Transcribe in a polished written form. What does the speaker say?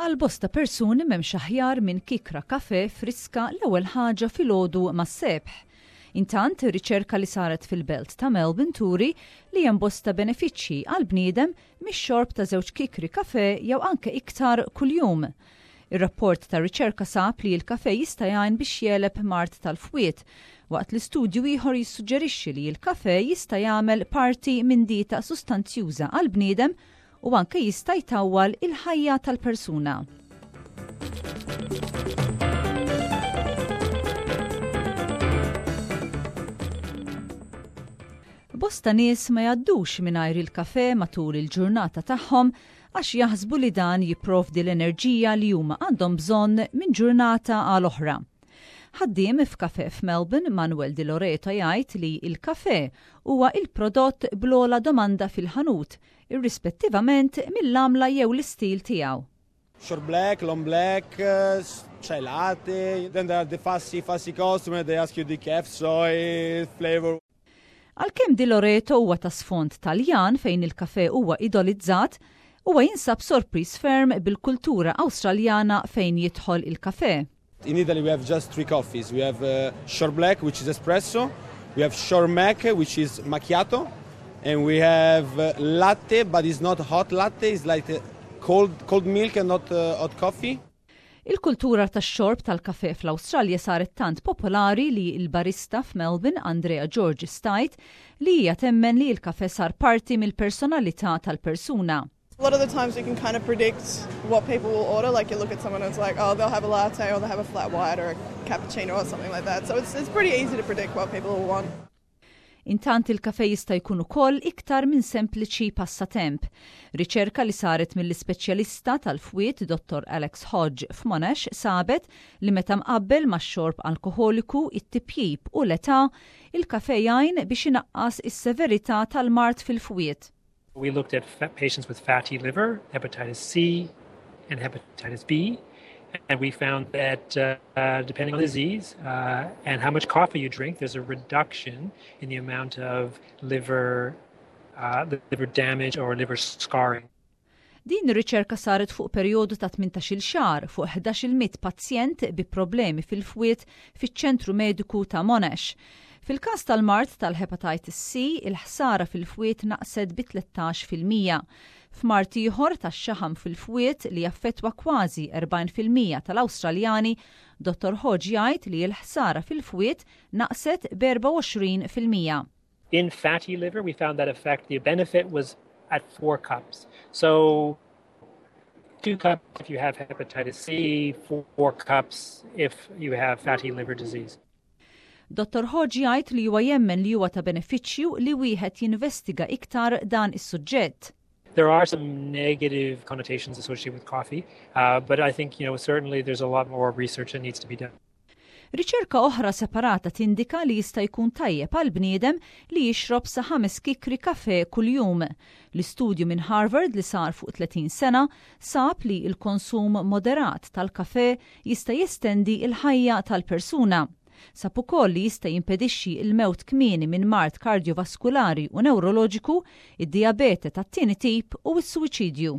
Għal bosta persuni m'hemmx aħjar minn kikra kafè friska l-ewwel ħaġa filgħodu mas-sebħ. Intant, riċerka li saret fil-belt ta' Melbourne turi li hemm bosta benefiċċji għall-bniedem mix-xorb ta' żewġ kikri kafè jew anke iktar kuljum. Ir-rapport tar-riċerka sab li l-kafè jista' jgħin biex jegħleb mard tal-fwied, waqt li studju ieħor jissuġġerixxi li l-kafè jista' jagħmel parti minn dieta sustanzjuża għall-bniedem u anke jista' jtawwal il-ħajja tal-persuna. Bosta nies ma jgħaddux mingħajr il-kafè matul il-ġurnata tagħhom għax jaħsbu li dan jipprovdi l-enerġija li huma għandhom bżonn minn ġurnata għal oħra. Ħaddiem f'kafè f'Melbourne, Manuel Di Loreto jgħid li l-kafè huwa il-prodott bl-ogħla domanda fil-ħanut, irrispettivament mill-għamla jew l-istil tiegħu. Short black, long black, chai latte, then there are the fussy, fussy customer, they ask you decaf, soy, flavor. Għalkemm Di Loreto huwa ta' sfond Taljan fejn il-kafè huwa idolizzat, huwa jinsab sorpriż ferm bil-kultura Awstraljana fejn jidħol il-kafè. In Italy we have just three coffees. We have short black, which is espresso, we have short mac, which is macchiato, and we have latte, but it's not hot latte, it's like cold, cold milk and not hot coffee. Il-kultura tax-xorb tal-kafè fl-Awstralja saret tant popolari li l-barista f'Melbourne, Andrea Georges tgħid li hija temmen li l-kafè sar parti mill-personalità tal-persuna. A lot of the times you can kind of predict what people will order. Like you look at someone and it's like, oh, they'll have a latte or they'll have a flat white or a cappuccino or something like that. So it's, it's pretty easy to predict what people will want. Intant il-kafè jista' jkun ukoll iktar minn sempliċi passatemp. Riċerka li saret mill-ispeċjalista tal-fwied Dottor Alex Hodge f'Monash sabet li meta mqabbel max-xorb alkoħoliku, it-tipjip u l-età, il-kafè jgħin biex inaqqas is-severità tal-mard fil-fwied. We looked at patients with fatty liver, hepatitis C, and hepatitis B, and we found that uh, depending on the disease uh, and how much coffee you drink, there's a reduction in the amount of liver, uh, liver damage or liver scarring. Din ir-riċerka saret fuq perjodu ta' 18-il xahar fuq 11,100 pazjent bi problemi fil-fwied fiċ-Ċentru Mediku ta' Monash. Fil-każ tal-mard tal-Hepatitis C, il-ħsara fil-fwied naqset bi 13%. F'mard ieħor tax-xaħam fil-fwied li jaffettwa kważi 40% tal-Awstraljani, Dottor Hodge jgħid li l-ħsara fil-fwied naqset b'24%. In fatty liver, we found that effect, the benefit was at four cups. So two cups if you have hepatitis C, four cups if you have fatty liver disease. Dottor Hodge jgħid li huwa jemmen li huwa ta' benefiċċju li wieħed jinvestiga iktar dan is-suġġett. There are some negative connotations associated with coffee, uh, but I think you know certainly there's a lot more research that needs to be done. Riċerka oħra separata tindika li jista' jkun tajjeb għall-bniedem li jixrob sa ħames kikri kafè kuljum. L-istudju minn Harvard li sar fuq 30 sena sab li l-konsum moderat tal-kafè jista' jestendi l-ħajja tal-persuna. Sab ukoll li jista' jimpedixxi l-mewt kmieni minn mard kardjovaskulari u newroloġiku, id-dijabete tat-tieni tip u s-suwiċidju.